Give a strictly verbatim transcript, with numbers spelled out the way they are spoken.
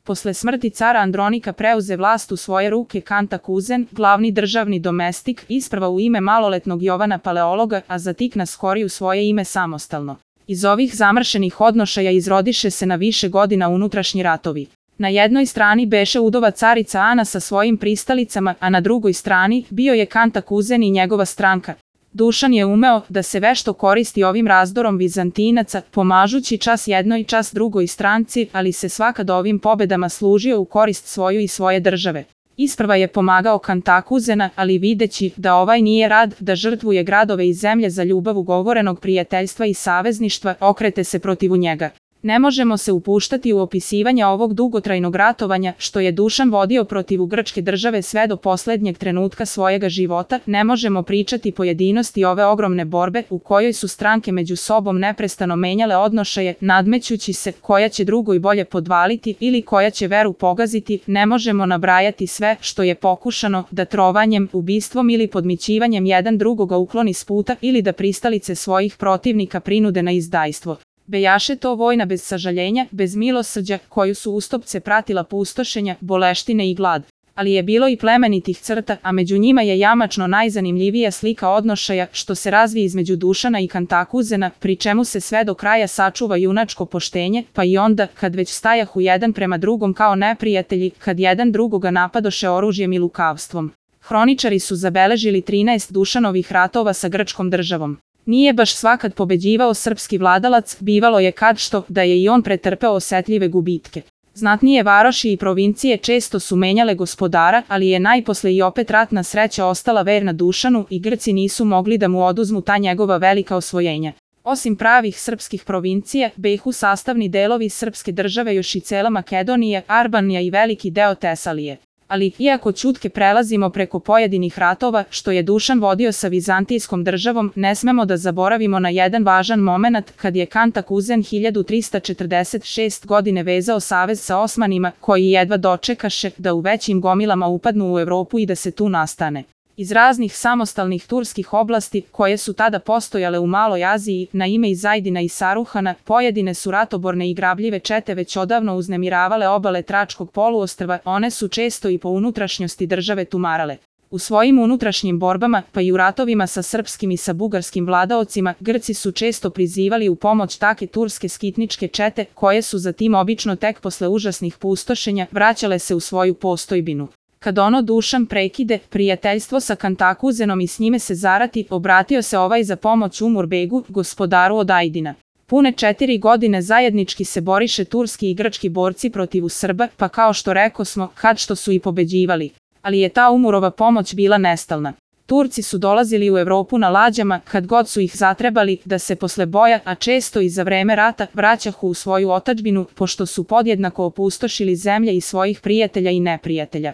Posle smrti cara Andronika preuze vlast u svoje ruke Kantakuzen, glavni državni domestik, isprva u ime maloletnog Jovana Paleologa, a zatik na skori u svoje ime samostalno. Iz ovih zamršenih odnošaja izrodiše se na više godina unutrašnji ratovi. Na jednoj strani beše udova carica Ana sa svojim pristalicama, a na drugoj strani bio je Kantakuzen i njegova stranka. Dušan je umeo da se vešto koristi ovim razdorom Vizantinaca, pomažući čas jednoj čas drugoj stranci, ali se svakad ovim pobedama služio u korist svoju i svoje države. Isprva je pomagao Kantakuzena, ali videći da ovaj nije rad da žrtvuje gradove i zemlje za ljubav ugovorenog prijateljstva i savezništva, okrete se protivu njega. Ne možemo se upuštati u opisivanje ovog dugotrajnog ratovanja što je Dušan vodio protiv grčke države sve do poslednjeg trenutka svojega života, ne možemo pričati pojedinosti ove ogromne borbe u kojoj su stranke među sobom neprestano menjale odnošaje, nadmećući se koja će drugoj bolje podvaliti ili koja će veru pogaziti, ne možemo nabrajati sve što je pokušano da trovanjem, ubistvom ili podmićivanjem jedan drugoga ukloni s puta ili da pristalice svojih protivnika prinude na izdajstvo. Bejaše to vojna bez sažaljenja, bez milosrđa, koju su ustopce pratila pustošenja, boleštine i glad. Ali je bilo i plemenitih crta, a među njima je jamačno najzanimljivija slika odnošaja što se razvije između Dušana i Kantakuzena, pri čemu se sve do kraja sačuva junačko poštenje, pa i onda, kad već stajahu jedan prema drugom kao neprijatelji, kad jedan drugoga napadoše oružjem i lukavstvom. Hroničari su zabeležili trinaest Dušanovih ratova sa grčkom državom. Nije baš svakad pobeđivao srpski vladalac, bivalo je kad što da je i on pretrpeo osetljive gubitke. Znatnije varoši i provincije često su menjale gospodara, ali je najposle i opet ratna sreća ostala verna Dušanu i Grci nisu mogli da mu oduzmu ta njegova velika osvojenja. Osim pravih srpskih provincija, behu sastavni delovi srpske države još i cela Makedonija, Arbanija i veliki deo Tesalije. Ali, iako ćutke prelazimo preko pojedinih ratova što je Dušan vodio sa vizantijskom državom, ne smemo da zaboravimo na jedan važan momenat kad je Kantakuzen hiljadu trista četrdeset šeste. godine vezao savez sa Osmanima, koji jedva dočekaše da u većim gomilama upadnu u Evropu i da se tu nastane. Iz raznih samostalnih turskih oblasti, koje su tada postojale u Maloj Aziji, na ime Izajdina i Saruhana, pojedine su ratoborne i grabljive čete već odavno uznemiravale obale Tračkog poluostrva, one su često i po unutrašnjosti države tumarale. U svojim unutrašnjim borbama, pa i u ratovima sa srpskim i sa bugarskim vladaocima, Grci su često prizivali u pomoć take turske skitničke čete, koje su zatim obično tek posle užasnih pustošenja vraćale se u svoju postojbinu. Kad ono Dušan prekide prijateljstvo sa Kantakuzenom i s njime se zarati, obratio se ovaj za pomoć Umurbegu, gospodaru od Ajdina. Pune četiri godine zajednički se boriše turski i grčki borci protiv Srba, pa kao što rekosmo, kad što su i pobeđivali. Ali je ta Umurova pomoć bila nestalna. Turci su dolazili u Evropu na lađama, kad god su ih zatrebali, da se posle boja, a često i za vreme rata, vraćahu u svoju otadžbinu, pošto su podjednako opustošili zemlje i svojih prijatelja i neprijatelja.